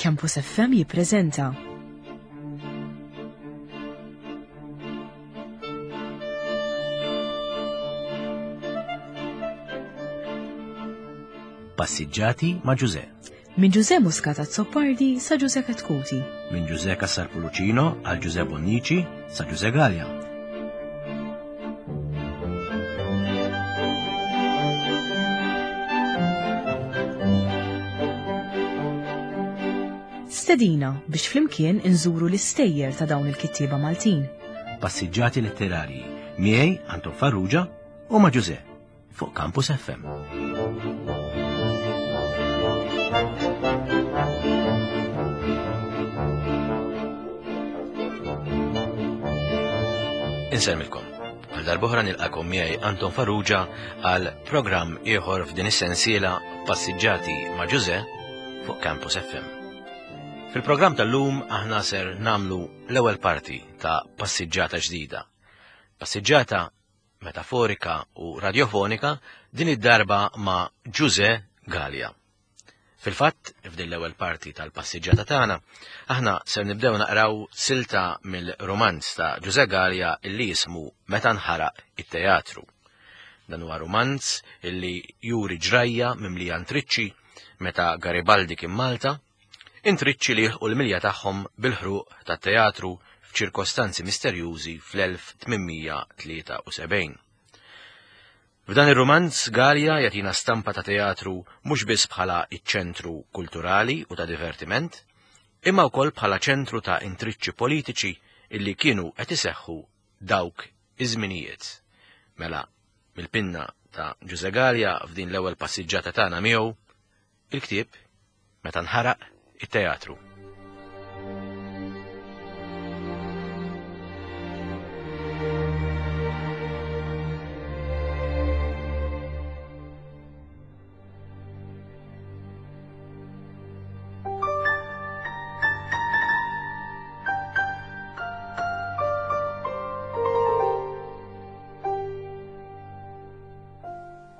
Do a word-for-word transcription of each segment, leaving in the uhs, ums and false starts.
Campus F M jippreżenta Passiġġati ma' Ġuże. Minn Ġuże Muscat Azzopardi sa Ġuże Chetcuti. Minn Ġuże Cassar Pullicino għal Ġuże Bonnici sa Ġuże Galea. Stedina biex flimkien inżuru l-istejjer ta' dawn il-kittieba Maltin. Passiġġati letterarji miegħi Anton Farrugia u ma' Ġuże fuq Campus F M. Insellmilkom. Għal darb'oħra nilqakom miegħi Anton Farrugia għal programm ieħor f'din is-sensiela Passiġġati ma' Ġuże fuq Campus F M. Fil-programm tal-lum aħna ser namlu l-ewwel parti ta' passiġġata ġdida. Passiġġata metaforika u radiofonika din id-darba ma' Ġuże Galea. Fil-fatt, f'din l-ewwel parti tal-passiġġata tagħna, aħna ser nibdew naqraw silta mill-romanz ta' Ġuże Galea illi jismu Meta nħaraq it-teatru. Dan huwa romanz illi juri ġrajja mimlija intriċċi meta Garibaldi kien Malta, intriċċi li jilħqu l-milja tagħhom bil-ħruq tat-teatru f'ċirkostanzi misterjużi fl-elf tmienmija tlieta u sebgħin. F'dan ir-romanz Galea jagħtina stampa ta' teatru mhux biss bħala iċ-ċentru kulturali u ta' divertiment, imma wkoll bħala ċentru ta' intriċċi politiċi illi kienu qed iseħħu dawk iż-żminijiet. Mela, mill-pinna ta' Ġuże Galea f'din l-ewwel passiġġata tagħna miegħu, il-ktieb Meta nħaraq it-teatru.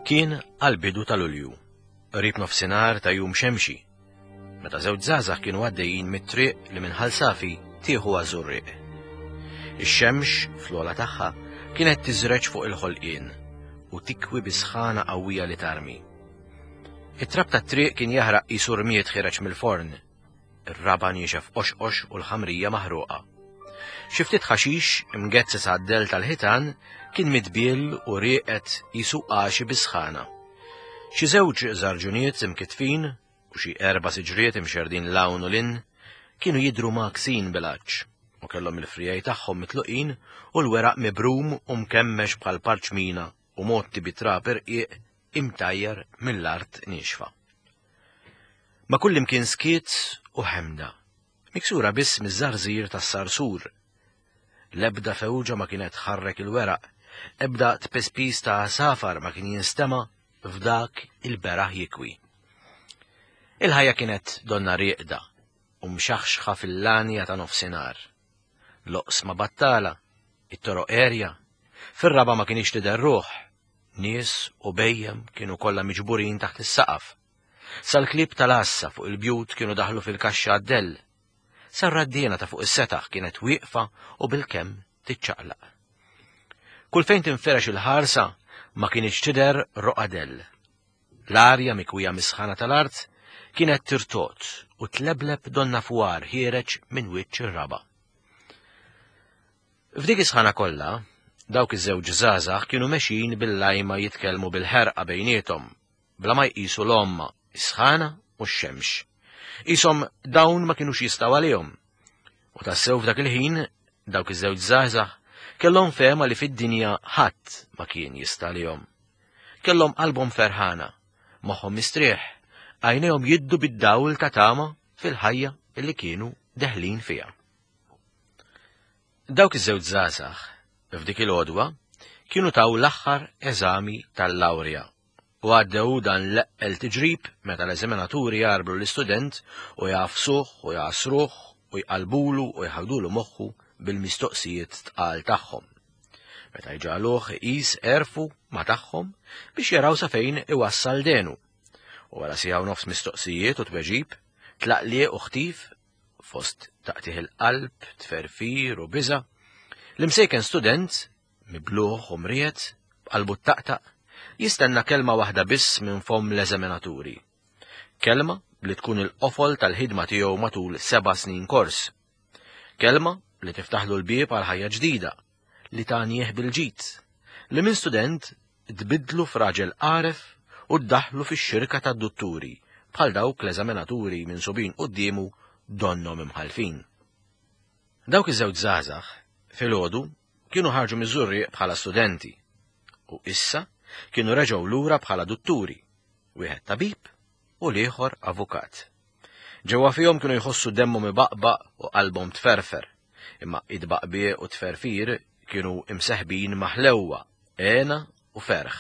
Kien għal-bidu tal-Ulju, qrib nofsinhar ta' jum xemxi, meta żewġ żgħażagħ kienu għaddejjin mit-triq li minn Ħal Safi tieħu għaż-Żurrieq. Ix-xemx fl-ogħla tagħha kienet tiżreġ fuq il-ħolqien u tikwi bi sħana qawwija li tarmi. It-trab tat-triq kien jaħraq qisu rmied ħireġ mill-forn, ir-raba niexef qoxqox u l-ħamrija maħruqa. Xi ftit ħaxix imgezzes għad-del tal-ħitan kien midbiel u rieqet qisu għaxi bi sħana. Xi żewġ żarġuniet imkitfin u xi erba' siġriet imxerdin l-hawn u l-in kienu jidhru maksin bil-għaġġ u kellhom il-frijaj tagħhom mitluqin u l-weraq mibrum u mkemmex bħal parċmina u motti bi trab irqiq imtajjar mill-art niexfa. Ma kullimkien skiet u ħemda, miksura biss miż-żarżir tas-sarsur. L-ebda fewġa ma kienet tħarrek il-weraq, ebda tpespis ta' safar ma kien jinstema' f'dak il-beraħ jikwi. Il-ħajja kienet donna rieqda u mxaħxħa fil-lanja ta' nofsinhar. Loqsma battala, it-toroq erja, fir-raba ma kienx tidher ruħ, nies u bejjem kienu kollha miġburin taħt is-saqaf. Sal-klieb tal-għassa fuq il-bjut kienu daħlu fil-kaxxa għad-dell. Sar-raddiena ta' fuq is-setaħ kienet wieqfa u bil-kemm tiċċaqlaq. Kull fejn tinferex il-ħarsa ma kienx tidher roqgħa dell. L-arja mikwija misħana tal-art kienet tirtot u tlebleb donna fwar ħiereġ minn wiċċ ir-raba. F'dik is-sħana kollha, dawk iż-żewġ żgħażagħ kienu mexjin bil-lajma jitkellmu bil-ħerqa bejniethom, bla ma jqisu l-omma, is-sħana u x-xemx. Qishom dawn ma kinux jistgħu għalihom. U tassew f'dak il-ħin, dawk iż-żewġ żgħażagħ kellhom fehma li fid-dinja ħadd ma kien jista' għalihom. Kellhom qalbhom ferħana, moħħhom mistrieħ, għajnejhom jiddu bid-dawl ta' tama fil-ħajja li kienu deħlin fiha. Dawk iż-żewġ żgħażagħ f'dik il-għodwa kienu taw l-aħħar eżami tal-lawrja u għaddew dan l-eqqel tiġrib meta l-eżaminaturi jarblu l-istudent u jafsuh u jasruh u jqalbulu u jħawdulu moħħu bil-mistoqsijiet tqal tagħhom. Meta jġagħluh iqis għerfu ma tagħhom biex jaraw sa fejn iwassal denu. U wara siegħa u nofs mistoqsijiet u tweġib, tlaqliq u ħtif, fost taqtih il-qalb, tferfir u biża', l-imsejken student, mibluħ u mriet, b'qalbu taqtaq, jistenna kelma waħda biss minn fomm l-eżaminaturi. Kelma li tkun il-qofol tal-ħidma tiegħu matul seba' snin kors. Kelma li tiftaħlu l-bieb għal ħajja ġdida, li tagħnih bil-ġid, li minn student tbidlu f'raġel għaref u ddaħlu fix-xirka tad-dutturi, bħal dawk l-eżaminaturi minsubin quddiemu donnhom imħalfin. Dawk iż-żewġ żgħażagħ filgħodu kienu ħarġu miż-Żurrieq bħala studenti u issa kienu reġgħu lura bħala dutturi, wieħed tabib u l-ieħor avukat. Ġewwa fihom kienu jħossu demmhom ibaqbaq u qalbhom tferfer, imma id-baqbieq u tferfir kienu imseħbin maħlewwa, għena u ferħ.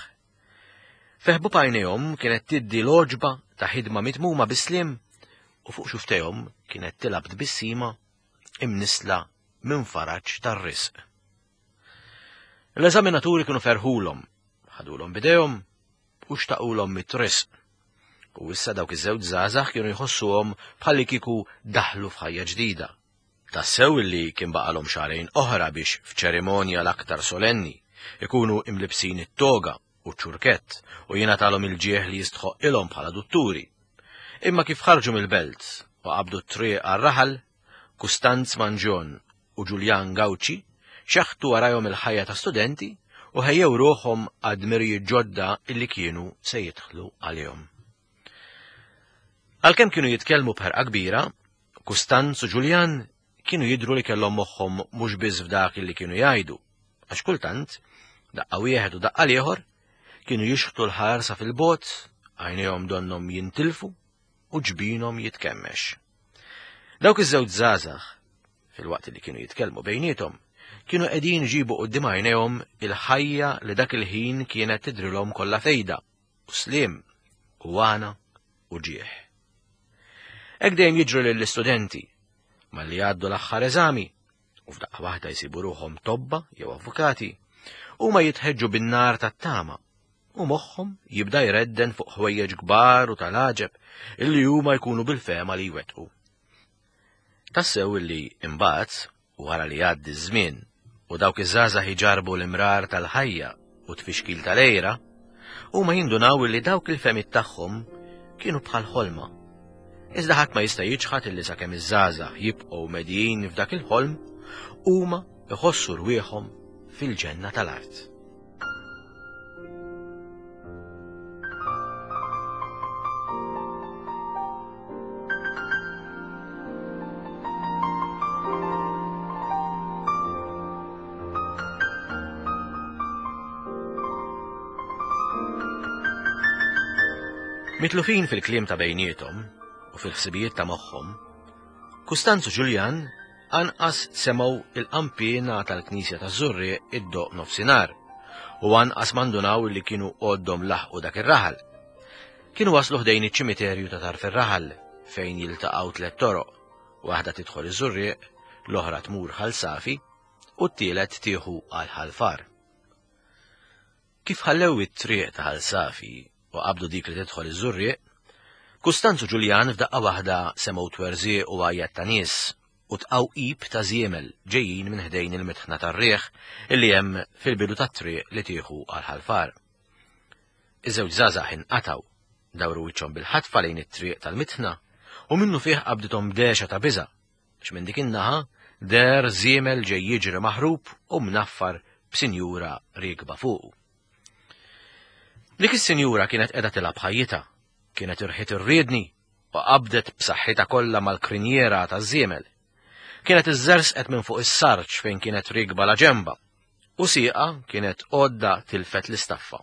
Feħbu b'għajnejhom kienet tiddi l-għoġba ta' ħidma mitmuma bis-sliem u fuq xuftejhom kienet tilgħab tbissima imnisla minn faraġ tar-risq. L-eżaminaturi kienu ferħulhom, ħadulhom bidejhom u xtaqulhom mit-risq. U issa dawk iż-żewġ żgħażagħ kienu jħossuhom bħalli kieku daħlu f'ħajja ġdida. Tassew illi kien baqalhom xahrejn oħra biex f'ċerimonja l-aktar solenni ikunu imlibsin it-toga u ċ-ċurkett u jingħatalhom il-ġieħ li jistħoq ilhom bħala dutturi. Imma kif ħarġu mill-belt u qabdu t-triq għar-raħal, Kustanz Manġon u Ġuljan Gawċi xeħtu warajhom il-ħajja ta' studenti u ħejjew ruħhom għad-dmirijiet ġodda illi kienu se jidħlu għalihom. Għalkemm kienu jitkellmu b'ħerqa kbira, Kustanz u Ġuljan kienu jidhru li kellhom moħħhom mhux biss f'dak illi kienu jgħidu, għax kultant, daqqa wieħed u daqqa l-ieħor, kienu jixħtu l-ħarsa fil-bot, għajnejhom donnhom jintilfu u ġbinhom jitkemmex. Dawk iż-żewġ żgħażagħ, fil-waqt li kienu jitkellmu bejniethom, kienu qegħdin iġibu quddiem għajnejhom il-ħajja li dak il-ħin kienet tidrilhom kollha fejda, u sliem, u għana, u ġieħ. Hekk dejjem jiġru lill-istudenti, malli jgħaddu l-aħħar eżami, u f'daqqa waħda jsibu ruħhom tobba jew avukati, huma jitħeġġu bin-nar tat-tama, u moħħhom jibda jredden fuq ħwejjeġ kbar u tal-għaġeb illi huma jkunu bil-fehma li jwettqu. Tassew illi imbagħad, wara li jgħaddi ż-żmien u dawk iż-żgħażagħ iġarbu l-imrar tal-ħajja u tfixkil tal-għira, huma jindunaw illi dawk il-fehmiet tagħhom kienu bħal ħolma. Iżda ħadd ma jista' jiċħad illi sakemm iż-żgħażagħ jibqgħu medijin f'dak il-ħolm, huma iħossu rwieħhom fil-ġenna tal-art. Mitlufin fil-kliem ta' bejniethom u fil-ħsibijiet ta' moħħhom, Kustanz u Ġuljan anqas semgħu il-qanpiena tal-Knisja taż-Żurrieq iddoqq nofsinhar u anqas mandunaw li kienu għoddhom laħqu dak ir-raħal. Kienu waslu ħdejn iċ-ċimiterju ta' tarf ir-raħal fejn jiltaqgħu tliet toroq, waħda tidħol iż-Żurrieq, l-oħra tmur Ħal Safi u t-tielet tieħu għal Ħal Far. Kif ħallew it-triq ta' Ħal Safi u qabdu dik li tidħol iż-Żurrieq, Kustanz u Ġuljan f'daqqa waħda semgħu twerżieq u għajjat ta' nies u tqawqib ta' żiemel ġejjin minn ħdejn il-mitħna tar-riħ illi hemm fil-bidu tat-triq li tieħu għal Ħal Far. Iż-żewġ żgħażagħ inqatgħu, dawru wiċċhom bil-ħatfa lejn it-triq tal-mitħna u minnu fih qabdithom dehxa ta' biża' għax minn dik in-naħa deher żiemel ġej jiġri maħrub u mnaffar b'sinjura riekba fuqu. Dik is-sinjura kienet qiegħda tilgħab ħajjitha, kienet irħiet irriedni u qabdet b'saħħitha kollha mal-krinjera taż-żiemel. Kienet iżżersqet minn fuq is-sarġ fejn kienet riekba la ġemba u sieqa kienet għodda tilfet l-istaffa.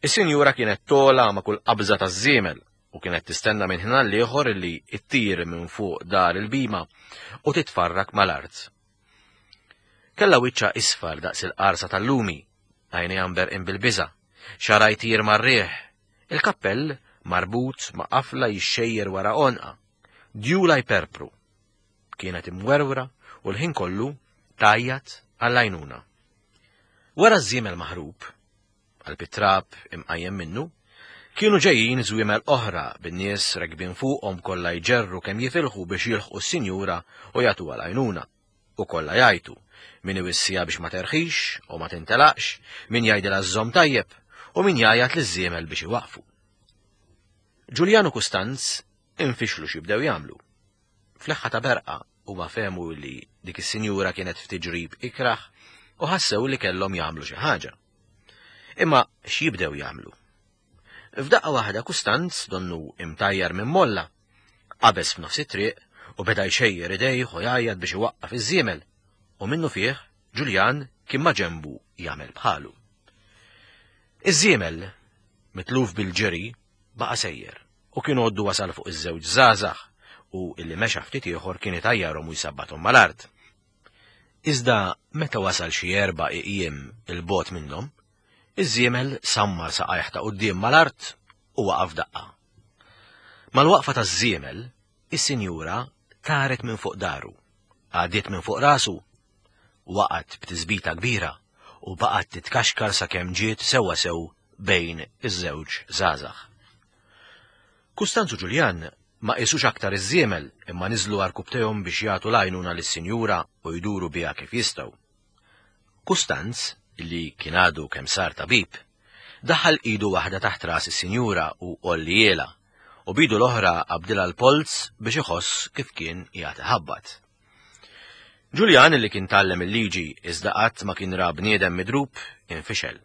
Is-sinjura kienet tola ma' kull qabża taż-żiemel u kienet tistenna minn ħin għall-ieħor illi ttir minn fuq dar il-bima u titfarrak mal-art. Kellha wiċċha isfar daqs il-qarsa tal-lumi, għajnejha mberqin bil-biża', xagħarha jtir mar-riħ, il-kappell marbut ma' qafla jixxejjer wara għonqa, djula jperpru. Kienet imwerwra u l-ħin kollu tgħajjat għall-għajnuna. Wara ż-żiemel maħrub, qalb it-trab imqajjem minnu, Kienu ġejjin żwiemel oħra bin-nies rekbin fuqhom kollha jġerru kemm jifilħu biex jilħqu s-sinjura u jagħtuha l-għajnuna. U kollha jgħajtu, min iwissija biex ma terħix u ma tintelaqx, min jgħidilha żżomm tajjeb u min jgħajjat liż-żiemel biex iwaqfu. Ġuljan u Kustanz infixlu x'jibdew jagħmlu. Fl-eħħa ta' berqa huma fehmu li dik is-sinjura kienet f'tiġrib ikrah u ħassew li kellhom jagħmlu xi ħaġa. Imma x'jibdew jagħmlu? F'daqqa waħda Kustanz donnu imtajjar minn molla, qabeż f'nofs it-triq u beda jxejjer idejh u jgħajjat biex iwaqqaf iż-żiemel, u minnu fih Ġuljan kien ma' ġenbu jagħmel bħalu. Iż-żiemel, mitluf bil-ġeri, baqa' sejjer u kien għoddu wasal fuq iż-żewġ żgħażagħ u illi mexa ftit ieħor kien itajjarhom u jsabbathom mal-art. Iżda meta wasal xi erba' iqjiem il-bogħod minnhom, iż-żiemel sammar saqajh ta' quddiem mal-art u waqaf daqqa. Mal-waqfa taż-żiemel, is-sinjura taret minn fuq daru, għaddiet minn fuq rasu, waqgħet b'tiżbita kbira u baqgħet titkaxkar sakemm ġiet sewwa sew bejn iż-żewġ żgħażagħ. Kustanz u Ġuljan ma qisux aktar iż-żiemel imma niżlu għarkubtejhom biex jagħtu l-għajnuna lis-sinjura u jduru biha kif jistgħu. Kustanz, li kien għadu kemm sar tabib, daħal idu waħda taħt ras is-sinjura u għolliela, u bidu l-oħra qabdilha l-polz biex iħoss kif kien qiegħed iħabbat. Ġuljan, li kien tgħallem il-liġi iżda qatt ma kien ra bniedem midrub, infixel,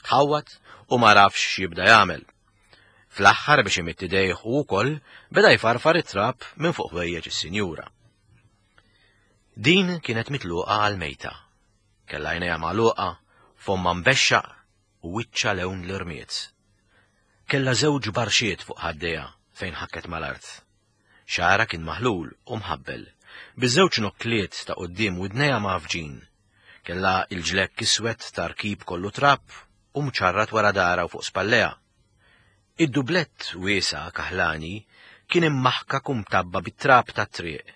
ħawwat u ma rafx x'jibda jagħmel. Fl-aħħar biex imitt idejh u wkoll beda jfarfar it-trab minn fuq ħwejjeġ is-sinjura. Din kienet mitluqa għal mejta. Kellha għajnejha magħluqa, fomma mbexxaq u wiċċha lewn l-irmiet. Kellha żewġ barxiet fuq ħaddejha fejn ħakket mal-art. Xagħarha kien maħlul u mħabbel, biż-żewġ nokkliet ta' quddiem widnejha mgħaffġin. Kellha il-ġlekk iswed ta' rkib kollu trab u mċarrat wara darha u fuq spallejha. Id-dublett wiesa' kaħlani kien immaħkak u mtabba bit-trab tat-triq.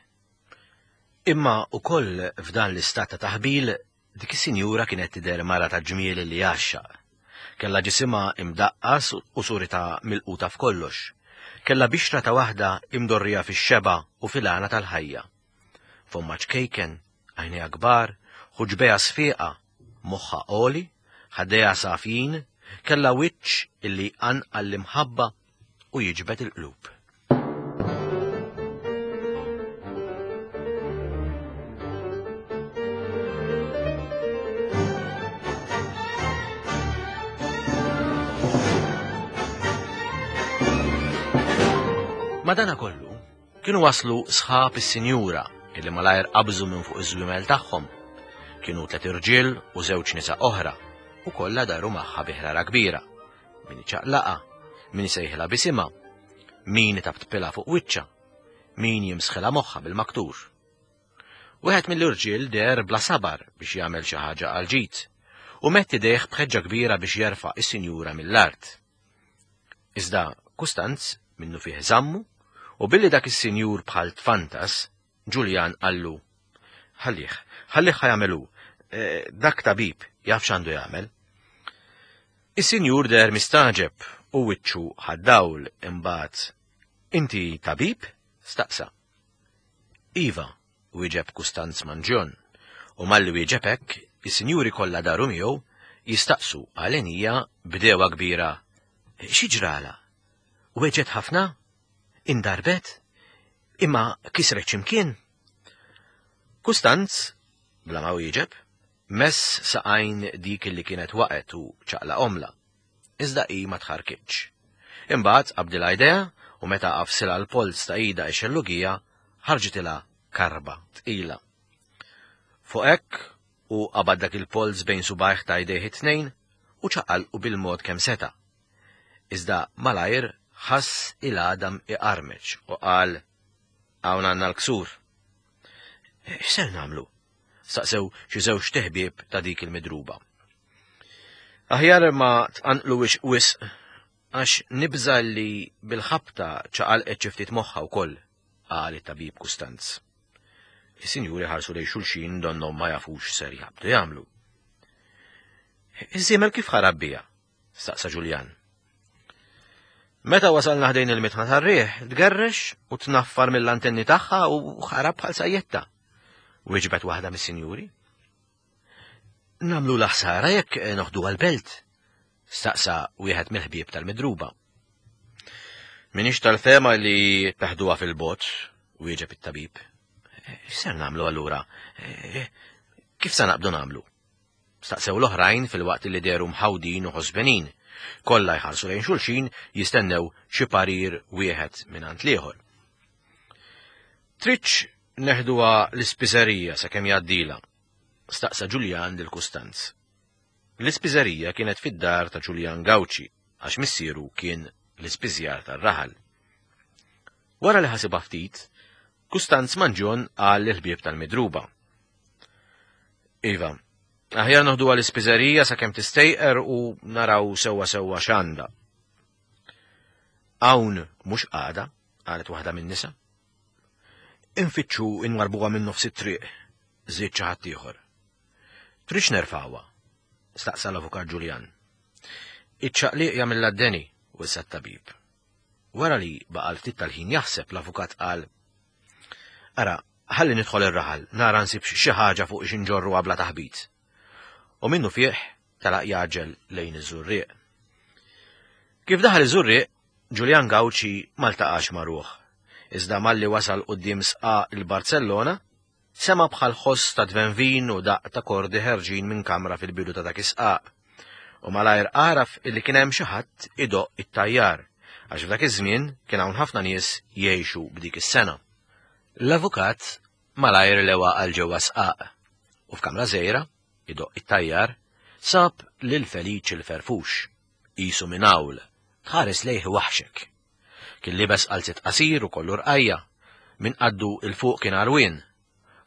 Imma ukoll f'dan l-istat ta' taħbil dik is-sinjura kienet tidher mara ta' ġmiel li jgħaxxaq. Kellha ġisimha imdaqqas u surita milquta f'kollox. Kellha bixra ta' waħda imdorrija fix-xeba u fil-għana tal-ħajja. Fomma ċkejken, għajnejha kbar, ħuġbejha sfiqa, moħħha għoli, ħaddejha safjin, kellha wiċċ illi jqanqal l-imħabba u jiġbed il-qlub. Madanakollu, kienu waslu sħab is-sinjura illi malajr qabżu minn fuq iż-żwiemel tagħhom. Kienu tliet irġiel u żewġ nisa oħra, u kollha daru magħha bi ħrara kbira. Min iċaqlaqa, min isejħilha bisimha, min itabtpilha fuq wiċċha, min jimsħilha moħħha bil-maktur. Wieħed mill-irġiel deher bla sabar biex jagħmel xi ħaġa għal ġid, u mett idejh b'ħeġġa kbira biex jerfa' is-sinjura mill-art. Iżda Kustanz minnu fih żammu, u billi dak is-sinjur bħal tfantas, Ġuljan qallu: "Ħallih, ħallih ħa jagħmel hu, dak tabib jaf x'għandu jagħmel." Is-sinjur deher mistaġeb u wiċċu ħad-dawl imbagħad. "Inti tabib?" staqsa. "Iva," wieġeb Kustanz Manġjon, u malli wieġeb hekk, is-sinjuri kollha daru miegħu jistaqsu għalenija b'dewa kbira: "Xi ġrala? Weġgħet ħafna? Indarbet? Imma kisret x'imkien?" Kustanz, bla ma wieġeb, mess saqajn dik li kienet waqgħet u ċaqla omla, iżda hi ma tħarkitx. Imbagħad qabdilha idea u meta qafsilha l-polz ta' idha x-xellugija ħarġitilha karba tqila. Fuq hekk u qabad dak il-polz bejn subajh ta' idejh it-tnejn u ċaqalqu bil-mod kemm seta'. Iżda malajr ħass il-għadam iqarmeċ u qal: "Hawn għandna l-ksur." "X'ser nagħmlu?" staqsew xi żewġ teħbieb ta' dik il-midruba. "Aħjar ma tqanqluwix wisq għax nibża li bil-ħabta ċaqalqet xi ftit moħħha wkoll," qal it-tabib Kustanz. Is-sinjuri ħarsu lejn xulxin donnhom ma jafux ser jabdu jagħmlu. "Iż-żiemel kif ħarab biha?" staqsa Ġuljan. Meta wasalna ħdejn il-mitħna tar-riħ, tgerrex u tnaffar mill-antenni tagħha u ħarab bħal sajjetta. Wieġbet waħda mis-sinjuri. Nagħmlu l-ħsara jekk noħdu għal-belt, staqsa wieħed mill-ħbieb tal-midruba. Minix tal-fema li taħduha fil-bot, wieġeb it-tabib. X'ser nagħmlu allura? Kif sa naqbdu nagħmlu? Staqsew l-oħrajn fil-waqt li deru mħawdin u ħosbenin. Kollha jħarsu lejn xulxin jistennew xi parir wieħed mingħand l-ieħor. Tridx neħduha l-ispiżerija sakemm jgħaddila, staqsa Ġuljan lil Kustanz. L-ispiżerija kienet fid-dar ta' Ġuljan Gawċi għax missieru kien l-ispiżjar tar-raħal. Wara li ħasibha ftit, Kustanz Manġon qal lill-ħbieb tal-midruba. Iva, aħjar noħduha l-ispiżerija sakemm tistejqer u naraw sewwa sewwa x'għandha. Hawn mhux għada, qalet waħda min-nisa. Infittxu inwarbuha minn nofs it-triq, żied xi ħadd ieħor. Tridx nerfgħuha, staqsa l-avukat Ġuljan. Iċ-ċaqliq jagħmilha d-deni, wissa t-tabib. Wara li baqa' l-ftit tal-ħin jaħseb l-avukat qal: Ara, ħalli nidħol ir-raħal, nara nsib xi ħaġa fuq xi nġorru bla taħbit. U minnu fih telaq jaġel lejn iż-Żurrieq. Kif daħal iż-Żurrieq, Ġuljan Gawċi ma ltaqax ma' ruħ. Iżda malli wasal quddiem sqaq il-Barcellona, sema bħal ħoss ta' tvenvin u daq ta' kordi ħerġin minn kamra fil-bidu ta' dak is-sqaq. U malajr għaraf illi kien hemm xi ħadd idoqq it-tajjar, għax f'dak iż-żmien kien hawn ħafna nies jgħixu b'dik is-sena. L-avukat malajr lewa għal ġewwa sqaq u f'kamra żgħira idoqq it-tajjar sab lil Feliċ il-Ferfux, qisu minn hawl, tħares lejh waħxek. Kien libes qalzit qasir u kollu rqajja, minn qaddu il fuq kien għarwien.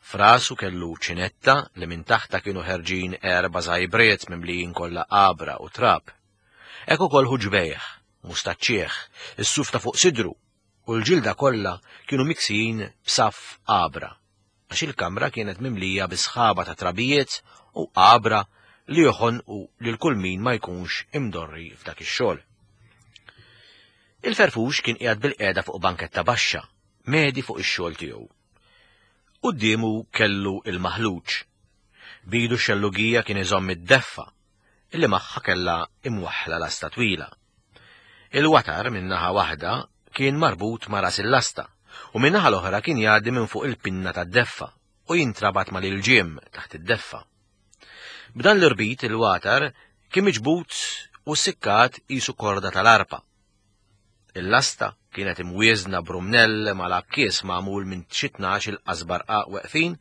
Frasu kellu ċinetta li minn taħta kienu ħerġin erba' żajbriet mimlijin kollha qabra u trab. Hekk ukoll ħuġbejh, mustaċċieħ, is-suf ta' fuq sidru u l-ġilda kollha kienu miksijin b'saff qabra, għax il-kamra kienet mimlija bi sħaba ta' trabijiet u qabra li joħonqu lil kull min ma jkunx imdorri f'dak ix-xogħol. Il-Ferfux kien qiegħed bil-qiegħda fuq banketta baxxa, medi fuq ix-xogħol tiegħu. Quddiemu kellu il-maħluġ. Bidu x-xellugija kien iżomm id-deffa, illi magħha kellha imwaħħla lasta twila. Il-watar minn naħa waħda kien marbut ma' ras il-lasta u minn naħa l-oħra kien jgħaddi minn fuq il-pinna tad-deffa u jintrabat mal-ilġiem taħt id-deffa. B'dan l-irbit il-watar kien miġbut u sikkat qisu korda tal-arpa. Il-lasta kienet imwieżna brumnell mal-akkies magħmul minn xi tnax il-qasbar weqfin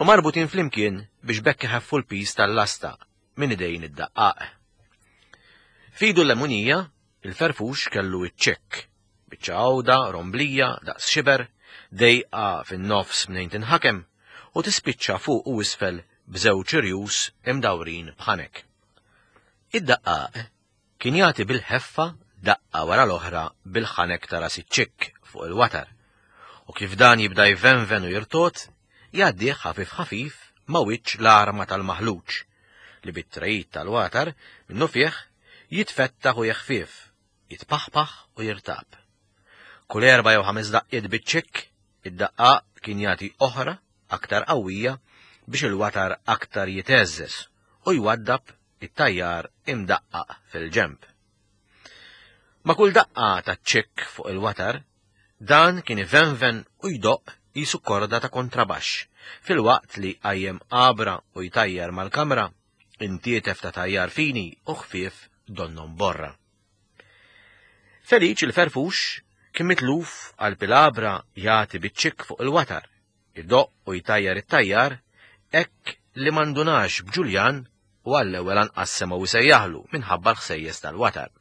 u marbutin flimkien biex bekk iħaffu l-pis tal-lasta minn idejn id-daqqaq. Fidu l-lemunija, il-Ferfux kellu iċ-ċekk, biċċa għawda, romblija, daqs xiber, dejqa fin-nofs mnejn tinħakem u tispiċċa fuq u isfel b'żewġ irjus imdawrin b'ħanek. Id-daqqaq kien jagħti bil-ħeffa daqqa wara l-oħra bil-ħanek ta' ras iċ-ċikk fuq il-watar, u kif dan jibda jvenven u jirtot, jgħaddih ħafif ħafif ma' wiċċ l-arma tal-maħluġ, li bit-trejt tal-watar minnu fih jitfettaħ u jeħfif, jitpaħpaħ u jirtab. Kull erba' jew ħames daqqiet biċ-ċikk, id-daqqaq kien jagħti oħra aktar qawwija biex il-watar aktar jiteżżeż u jwaddab it-tajjar imdaqqaq fil-ġemp. Ma' kull daqqa ta' ċikk fuq il-watar, dan kien ivenven u jdoqq qisu korda ta' kontrabaxx, fil-waqt li qajjem qabra u jtajjar mal-kamra, intietef ta' tajjar fini u ħfief donnom borra. Feliċ il-Ferfux kien mitluf għal pilabra jagħti biċ-ċikk fuq il-watar, idoqq u jtajjar it-tajjar, hekk li mandunax b'Ġuljan u għall-ewwel anqas semgħu jsejjaħlu minħabba l-ħsejjes tal-watar.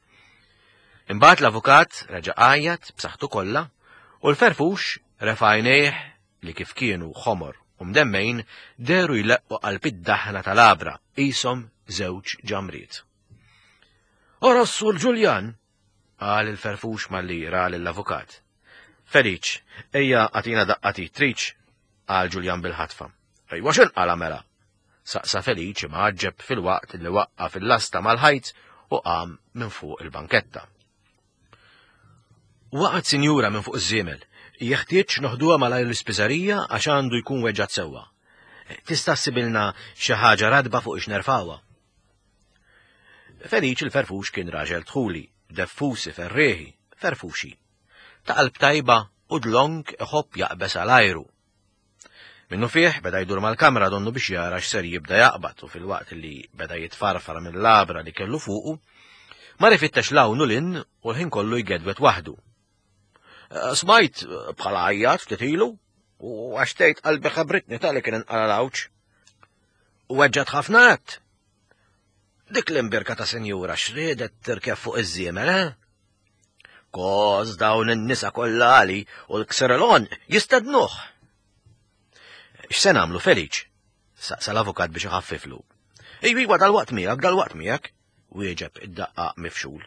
Imbagħad l-avukat reġa' għajjat b'saħħtu kollha u l-Ferfux refa' għajnejh li kif kienu ħomor u mdemmejn deru jleqqu qalb id-daħna tal-abra qishom żewġ ġamriet. Ora s-sur Ġuljan, qal il-Ferfux malli ra lill-avukat. Feliċ, ejja għatina daqqati triċ, qal Ġuljan bil-ħatfa. Ejwa x'inqala mela? Saqsa Feliċ imgħaġġeb fil-waqt li waqqa fil-lasta mal-ħajt u qam minn fuq il-banketta. Waqgħet sinjura minn fuq iż-żiemel. Jeħtieġ noħduha malajr l-ispiżerija għax għandu jkun weġġat sewwa. Tista' ssibilna xi ħaġa radba fuq ix nerfawha. Feliċ il-Ferfux kien raġel dħuli, deffusi ferrieħi, ferfuxi. Ta' qalb tajba u dlonk iħobb jaqbes għal ajru. Minnu fih beda jdur mal-kamra donnu biex jara x'ser jibda jaqbad u fil-waqt li beda jitfarfar mill-labra li kellu fuqu, mar ifittex 'l hawn u 'l hinn u l-ħin kollu jgedwet waħdu. Smajt bħala għajjat ftit ilu u għax tgħid qalbi ħabritni tali kien inqala l-għawġ. U weġġat ħafna għedt. Dik l-imbirka ta' sinjura x'riedet tirkeb fuq iż-żiemel, eh? Koż dawn in-nisa kollha għali u l-kserelon jistednuh. X'se nagħmlu Feliċ? Saqsa l-avukat biex iħaffiflu. Ejwa dal-waqt miegħek, dal-waqt miegħek, wieġeb id-daqqa mifxul.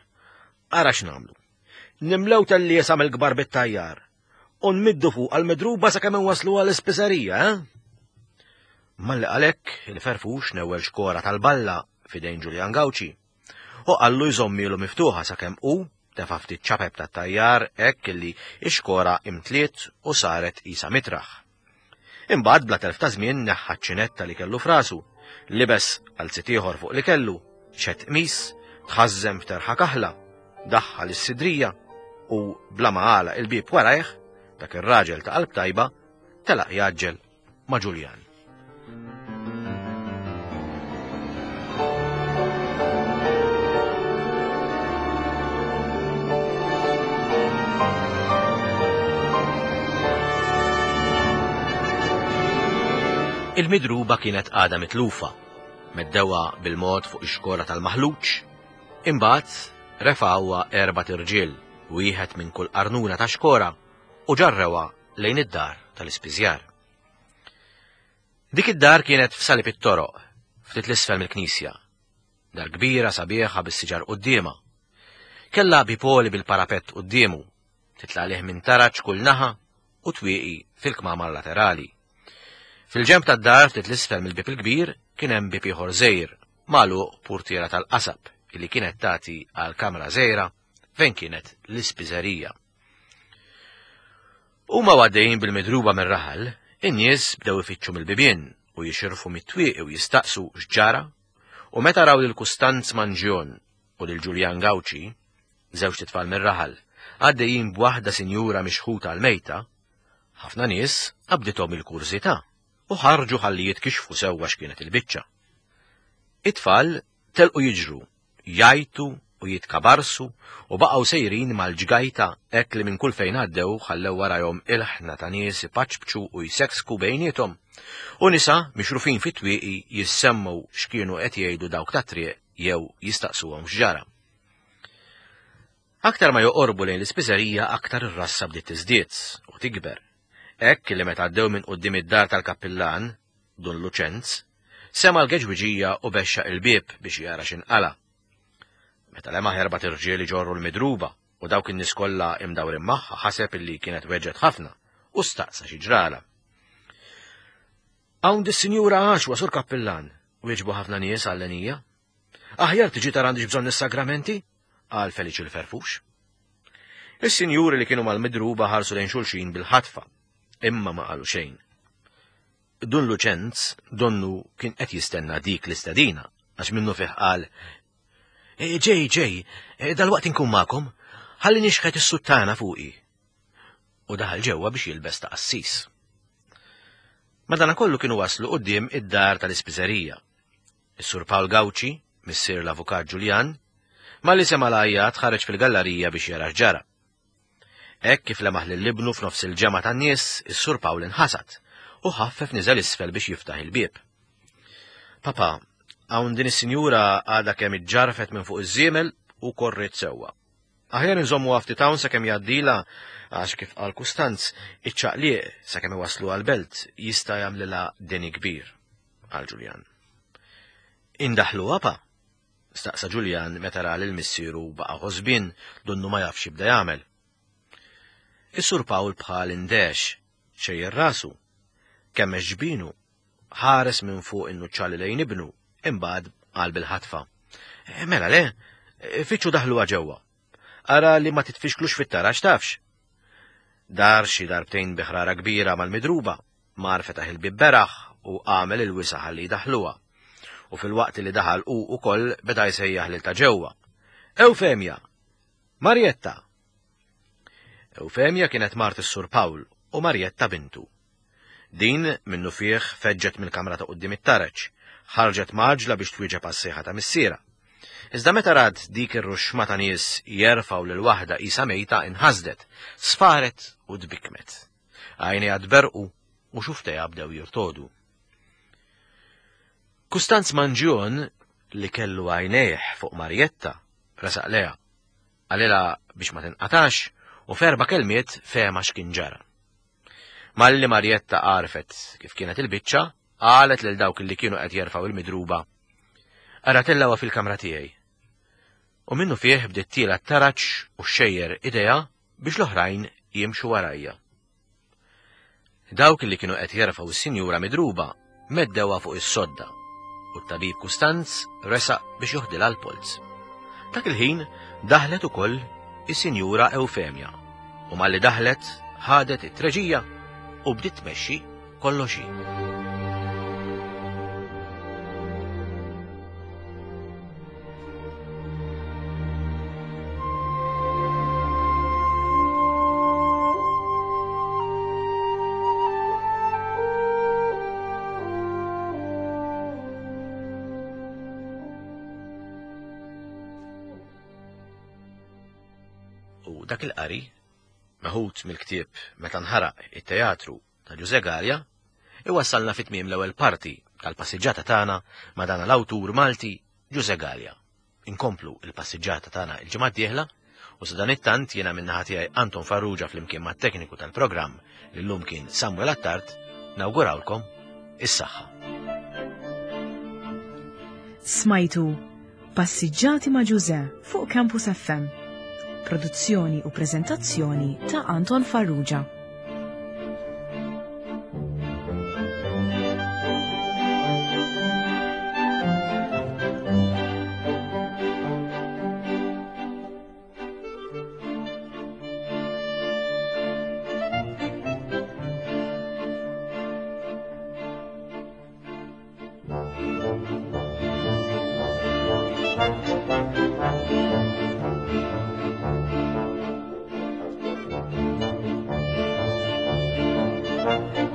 Ara x'nagħmlu. Nimlew tal-liesa mill-kbar bit-tajjar u nmiddu fuq għal-midruba sakemm inwaslu għall-ispiżerija, eh? Malli għalhekk il-Ferfux newwel xkora tal-balla f'idejn Ġuljan Gawċi u qallu jżommilu miftuħa sakemm hu tefa' ftit ċapep tat-tajjar hekk illi x-xkora imtliet u saret qisha mitraħ. Imbagħad bla telf ta' żmien neħħa ċ-ċinetta li kellu frasu, libes qalzit ieħor fuq li kellu, xed qmis, tħażżem f'terħa kaħla, daħħal is-sidrija u bla ma għalaq il-bieb warajh, dak ir-raġel ta' qalb tajba telaq jaġġel ma' Ġuljan. Il-midruba kienet għadha mitlufa, meddewha bil-mod fuq ix-xkora tal-maħluġ, imbagħad refgħuha erbat irġiel, wieħed minn kull qarnuna ta' xkora, u ġarrewha lejn id-dar tal-ispiżjar. Dik id-dar kienet f'salib it-toroq, ftit l-isfel mill-knisja. Dar kbira sabiħa bis-siġar quddiemha. Kellha bipoli bil-parapett quddiemu, titla' għalih minn taraġ kull naħa u twieqi fil-kmamar laterali. Fil-ġenb tad-dar ftit l-isfel mill-bieb il-kbir kien hemm bieb ieħor żgħir, magħluq purtiera tal-qasab illi kienet tagħti għal kamra żgħira fejn kienet l-ispiżerija. Huma għaddejjin bil-midruba mir-raħal, in-nies bdew ifittxu mill-bibien u jixirfu mit-twieqi u jistaqsu x'ġara, u meta raw lil Kustanz Manġjon u lil Ġuljan Gawċi, żewġ titfal mir-raħal, għaddejjin b'waħda sinjura mixħuta għal-mejta, ħafna nies qabdithom il-kurżità u ħarġu ħalli jitkixfu sewwa x'kienet il-biċċa. It-tfal telqu jiġru, jajtu u jitkabarsu u baqgħu sejrin mal-ġgajta hekk li minn kull fejn għaddew ħallew warajhom il-ħna ta' nies ipaċpċu u jseksku bejniethom u nisa mixrufin fit-twieqi jissemmu x'kienu qed jgħidu dawk tat-triq jew jistaqsuhom x'ġara. Aktar ma joqorbu lejn l-ispiżerija aktar ir-rassa bdiet tiżdied u tikber. Hekk li meta għaddew minn quddiem id-dar tal-kappillan, Dun Luċenz, sema l-geġwiġija u bexxaq il-bieb biex jara x'inqala. Meta lemaħ erbat irġiel iġorru l-midruba u dawk in-nies kollha imdawrin magħha ħaseb illi kienet weġġet ħafna u staqsa xi ġrala. Hawn dis-sinjura għaxwa sur kappillan, wieġbu ħafna nies għall-enija. Aħjar tiġi tara għandix bżonn is-sagramenti, qal Feliċ il-Ferfux. Is-sinjuri li kienu mal-midruba ħarsu lejn xulxin bil-ħatfa, imma ma qalu xejn. Dun Luċenz donnu kien qed jistenna dik l-istedina għax minnu fih qal: Ġej, ġej, dal-waqt inkun magħkom, ħalli nixħet is-suttana fuqi. U daħal ġewwa biex jilbes ta' qassis. Madanakollu kienu waslu quddiem id-dar tal-ispiżerija. Is-Sur Pawl Gawċi, missier l-avukat Ġuljan, malli sema' l-għajjat ħareġ fil-gallerija biex jara x'ġara. Hekk kif lemaħ lil ibnu f'nofs il-ġemgħa tan-nies, is-Sur Pawl inħasad u ħaffef niżel isfel biex jiftaħ il-bieb. Papa, hawn din is-sinjura għadha kemm iġġarfet minn fuq iż-żiemel u korriet sewwa. Aħjar inżommu ftit hawn sakemm jgħaddilha għax kif qal Kustanz, iċ-ċaqliq sakemm iwasslu għall-belt jista' jagħmlilha deni kbir, qal Ġuljan. Indaħluha pa? Staqsa Ġuljan meta ra lil missieru baqa' ħosbien donnu ma jafx jibda jagħmel. Is-Sur Pawl bħal index, xejjer rasu, kemmex ġbinu, ħares minn fuq in-nuċċali lejn ibnu, imbagħad qal bil-ħatfa. Mela le, fitxu daħluha ġewwa. Ara li ma titfixklux fit-taraġ tafx. Dar xi darbtejn bi ħrara kbira mal-midruba, mar fetaħ il-bieb beraħ u għamel il-wisa' ħalli jdaħħluha. U fil-waqt li daħal hu ukoll beda jsejjaħ lil ta' ġewwa. Eufemja! Marjetta! Eufemja kienet mart is-Sur Pawl u Marjetta bintu. Din minnu fih feġġet mill-kamra ta' quddiem it-taraġ, ħarġet maġla biex twieġeb għas-sejħa ta' missierha. Iżda meta rat dik ir-ruxma ta' nies jerfgħu lil waħda qisha mejta inħasdet, sfaret u tbikmet. Għajnejha tberqu u xuftejha bdew jirtodu. Kustanz Manġjon, li kellu għajnejh fuq Marjetta, resaq leha. Qalilha biex ma tinqatax u f'erba' kelmiet fehma x'kien ġara. Malli Marjetta għarfet kif kienet il-biċċa, qalet lil dawk li kienu qed jerfgħu il-midruba. Ara tellgħuha fil-kamra tiegħi. U minnu fih bdiet tiela t-taraġ u xejjer idejha biex l-oħrajn jimxu warajja. Dawk li kienu qed jerfgħu s-sinjura midruba meddewha fuq is-sodda u t-tabib Kustanz resaq biex joħdilha l-polz. Dak il-ħin daħlet ukoll is-sinjura Eufemja u malli daħlet ħadet it-treġija u bdiet tmexxi kollox hi. U dak il-qari, meħud mill-ktieb Meta nħaraq it-teatru ta' Ġużè Galea, iwassalna fi tmiem l-ewwel parti tal-passiġġata tagħna ma' dan l-awtur Malti Ġużè Galea. Inkomplu il-passiġġata tagħna il-ġimgħa d-dieħla u sadanittant jiena min-naħa tiegħi Anton Farrugia flimkien mat-tekniku tal-programm li llum kien Samuel Attard, nawgurawlkom is-saħħa. Smajtu Passiġġati ma' Ġużè fuq Campus F M. Produzzjoni u preżentazzjoni ta' Anton Farrugia. Thank you.